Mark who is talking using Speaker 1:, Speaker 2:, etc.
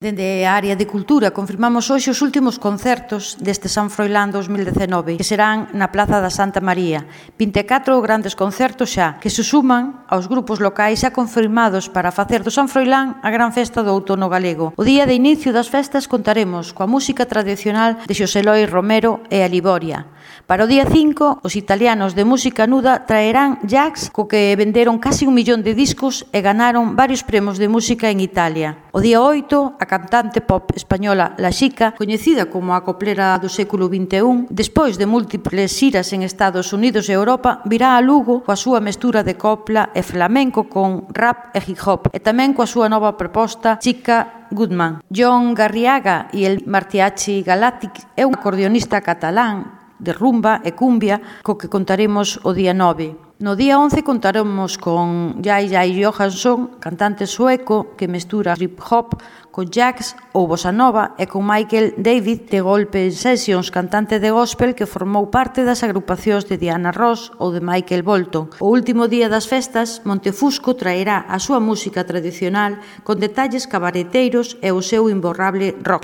Speaker 1: Dende a área de cultura confirmamos hoxe os últimos concertos deste San Froilán 2019, que serán na Plaza da Santa María. 24 grandes concertos xa, que se suman aos grupos locais xa confirmados para facer do San Froilán a gran festa do outono galego. O día de inicio das festas contaremos coa música tradicional de Xosé Loi Romero e a Liboria. Para o día 5, os italianos de música nuda traerán Jax, co que venderon casi 1 millón de discos e ganaron varios premios de música en Italia. O día 8, a cantante pop española La Xica, coñecida como a coplera do século XXI, despois de múltiples xiras en Estados Unidos e Europa, virá a Lugo coa súa mestura de copla e flamenco con rap e hip hop, e tamén coa súa nova proposta Chica Goodman. John Garriaga e el Mariachi Galactic é un acordeonista catalán de rumba e cumbia co que contaremos o día 9. No día 11 contaremos con Jai Johansson, cantante sueco que mestura trip hop con jazz ou bossa nova, e con Michael David de Golpe Sessions, cantante de gospel que formou parte das agrupacións de Diana Ross ou de Michael Bolton. O último día das festas, Montefusco traerá a súa música tradicional con detalles cabareteiros e o seu imborrable rock.